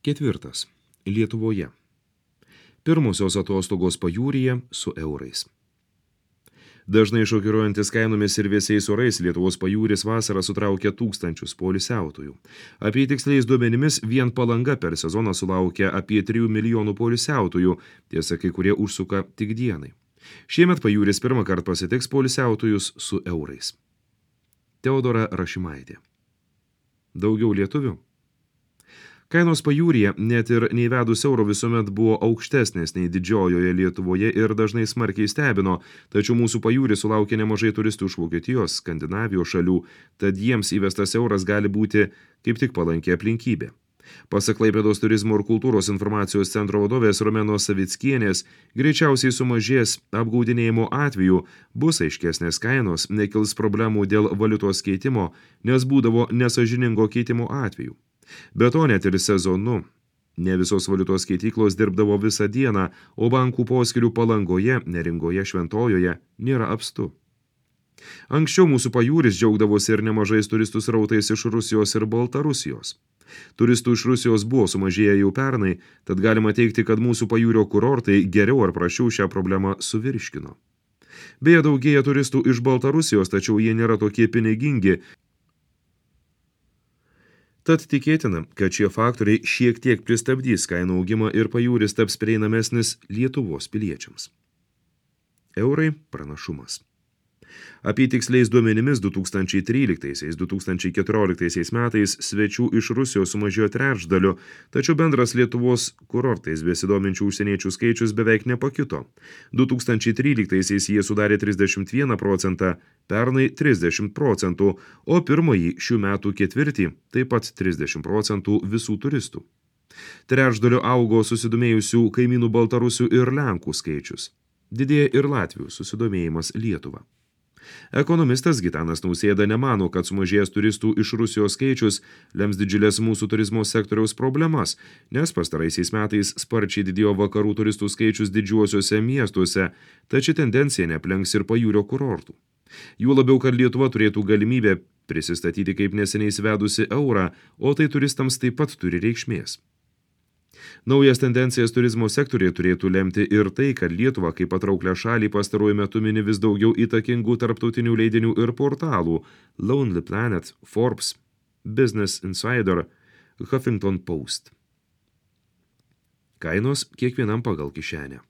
Ketvirtas. Lietuvoje. Pirmosios atostogos pajūryje su eurais. Dažnai šokiruojantis kainomis ir vėsiais orais Lietuvos pajūris vasarą sutraukia tūkstančius poilsiautojų. Apie tiksliais duomenimis vien Palanga per sezoną sulaukia apie 3 milijonų poilsiautojų, tiesa kai kurie užsuka tik dienai. Šiemet pajūris pirmą kartą pasitiks poilsiautojus su eurais. Teodora Rašimaitė. Daugiau lietuvių? Kainos pajūryje net ir neįvedus euro visuomet buvo aukštesnės nei didžiojoje Lietuvoje ir dažnai smarkiai stebino, tačiau mūsų pajūris sulaukia nemažai turistų iš Vokietijos, Skandinavijos šalių, tad jiems įvestas euras gali būti kaip tik palanki aplinkybė. Pasak Klaipėdos turizmo ir kultūros informacijos centro vadovės Romenos Savickienės, greičiausiai sumažės apgaudinėjimo atveju, bus aiškesnės kainos, nekils problemų dėl valiutos keitimo, nes būdavo nesąžiningo keitimo atveju. Be to net ir sezonu. Ne visos valiutos keityklos dirbdavo visą dieną, o bankų poskyrių Palangoje, Neringoje, Šventojoje nėra apstu. Anksčiau mūsų pajūris džiaugdavosi ir nemažais turistų srautais iš Rusijos ir Baltarusijos. Turistų iš Rusijos buvo sumažėję jau pernai, tad galima teigti, kad mūsų pajūrio kurortai geriau ar prašiau šią problemą suvirškino. Beje, daugėja turistų iš Baltarusijos, tačiau jie nėra tokie pinigingi. Tad tikėtina, kad šie faktoriai šiek tiek pristabdys kainų augimą ir pajūris taps prieinamesnis Lietuvos piliečiams. Eurai pranašumas. Apie tiksliais duomenimis 2013–2014 metais svečių iš Rusijos sumažėjo trečdaliu, tačiau bendras Lietuvos kurortais besidominčių užsieniečių skaičius beveik nepakito. 2013 jie sudarė 31%, pernai 30%, o pirmąjį šių metų ketvirtį taip pat 30% visų turistų. Trečdaliu augo susidomėjusių kaimynų Baltarusių ir Lenkų skaičius. Didėja ir Latvių susidomėjimas Lietuva. Ekonomistas Gitanas Nausėda nemano, kad sumažėjęs turistų iš Rusijos skaičius lems didžiulės mūsų turizmo sektoriaus problemas, nes pastaraisiais metais sparčiai didėjo vakarų turistų skaičius didžiuosiuose miestuose, tačiau tendencija neaplenks ir pajūrio kurortų. Jų labiau, kad Lietuva turėtų galimybę prisistatyti kaip neseniai įsivedusi eurą, o tai turistams taip pat turi reikšmės. Naujas tendencijas turizmo sektoriuje turėtų lemti ir tai, kad Lietuva kaip patrauklę šalį pastaruoju metu mini vis daugiau įtakingų tarptautinių leidinių ir portalų Lonely Planet, Forbes, Business Insider, Huffington Post. Kainos kiekvienam pagal kišenę.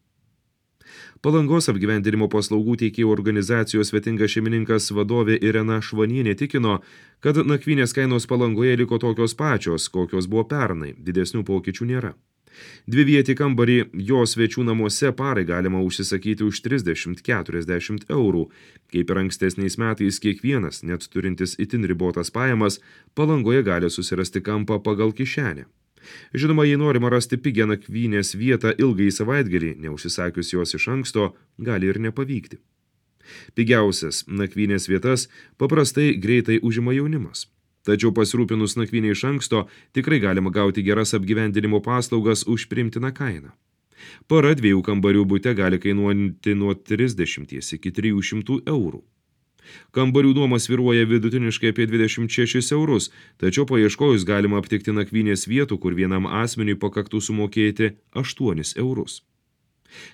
Palangos apgyvendinimo paslaugų teikėjų organizacijos Svetingas šeimininkas vadovė Irena Švanienė tikino, kad nakvynės kainos Palangoje liko tokios pačios, kokios buvo pernai, didesnių pokyčių nėra. Dvivietį kambarį jo svečių namuose parai galima užsisakyti už 30–40 eurų. Kaip ir ankstesniais metais kiekvienas, net turintis itin ribotas pajamas, Palangoje gali susirasti kampą pagal kišenę. Žinoma, jei norima rasti pigią nakvynės vietą ilgai savaitgalį, neužsisakius jos iš anksto, gali ir nepavykti. Pigiausias nakvynės vietas paprastai greitai užima jaunimas. Tačiau pasirūpinus nakvynę iš anksto, tikrai galima gauti geras apgyvendinimo paslaugas už priimtiną kainą. Para 2 kambarių bute gali kainuoti nuo 30 iki 300 eurų. Kambarių nuoma svyruoja vidutiniškai apie 26 eurus, tačiau paieškojus galima aptikti nakvynės vietų, kur vienam asmeniui pakaktų sumokėti 8 eurus.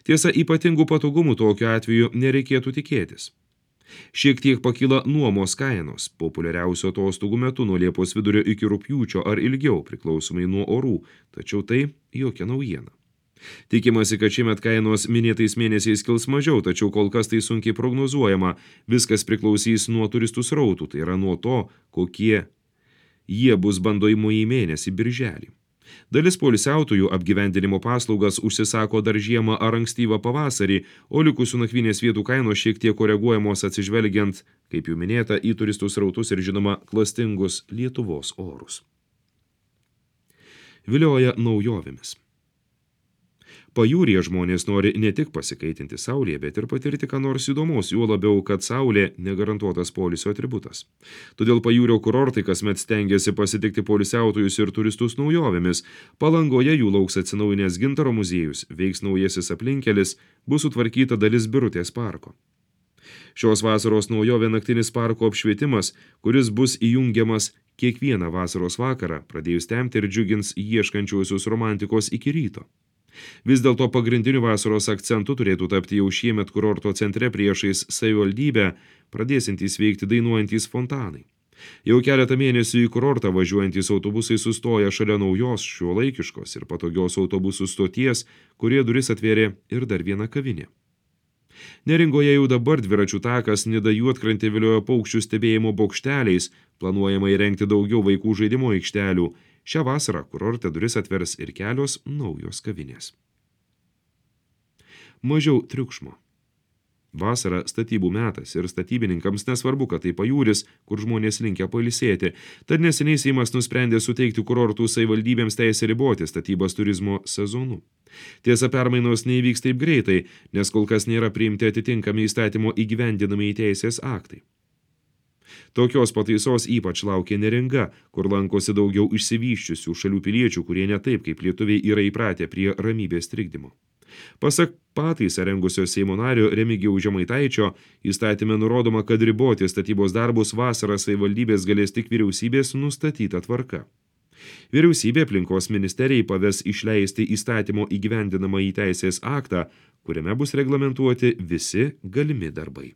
Tiesa, ypatingų patogumų tokiu atveju nereikėtų tikėtis. Šiek tiek pakyla nuomos kainos, populiariausio atostogų metu nuo Liepos vidurio iki rugpjūčio ar ilgiau, priklausomai nuo orų, tačiau tai jokia naujiena. Tikimasi, kad šiemet kainos minėtais mėnesiais kils mažiau, tačiau kol kas tai sunkiai prognozuojama, viskas priklausys nuo turistų srautų, tai yra nuo to, kokie jie bus bandomųjį mėnesį birželį. Dalis poilsiautojų apgyvendinimo paslaugas užsisako dar žiemą ar ankstyvą pavasarį, o likusių nakvynės vietų kainos šiek tiek koreguojamos atsižvelgiant, kaip jau minėta, į turistų srautus ir žinoma klastingus Lietuvos orus. Vilioja naujovėmis. Pajūryje žmonės nori ne tik pasikaitinti saulėje, bet ir patirti ką nors įdomaus, juo labiau, kad saulė negarantuotas poilsio atributas. Todėl pajūrio kurortai kasmet stengiasi pasitikti poilsiautojus ir turistus naujovėmis. Palangoje jų lauks atsinaujinęs Gintaro muziejus, veiks naujasis aplinkelis, bus sutvarkyta dalis Birutės parko. Šios vasaros naujovė naktinis parko apšvietimas, kuris bus įjungiamas kiekvieną vasaros vakarą, pradėjus temti ir džiugins ieškančiuosius romantikos iki ryto. Vis dėlto pagrindiniu vasaros akcentu turėtų tapti jau šiemet kurorto centre priešais savivaldybę pradėsintys veikti dainuojantys fontanai. Jau keletą mėnesių į kurortą važiuojantys autobusai sustoja šalia naujos, šiuolaikiškos ir patogios autobusų stoties, kurie duris atvėrė ir dar viena kavinė. Neringoje jau dabar dviračių takas Nida Juodkrantė viliojo paukščių stebėjimo bokšteliais, planuojama įrengti daugiau vaikų žaidimo aikštelių. Šią vasarą kurorte duris atvers ir kelios naujos kavinės. Mažiau triukšmo. Vasara statybų metas ir statybininkams nesvarbu, kad tai pajūris, kur žmonės linkę pailsėti, tad neseniai Seimas nusprendė suteikti kurortų savivaldybėms teisę riboti statybas turizmo sezonu. Tiesa, permainos neįvyks taip greitai, nes kol kas nėra priimti atitinkami įstatymo įgyvendinami teisės aktai. Tokios pataisos ypač laukia Neringa, kur lankosi daugiau išsivysčiusių šalių piliečių, kurie ne taip kaip lietuviai yra įpratę prie ramybės trikdymo. Pasak pataisą rengusio Seimo nario Remigijaus Žemaitaičio, įstatyme nurodoma, kad riboti statybos darbus vasarą savivaldybės galės tik vyriausybės nustatyta tvarka. Vyriausybė aplinkos ministerijai paves išleisti įstatymo įgyvendinamąjį teisės aktą, kuriame bus reglamentuoti visi galimi darbai.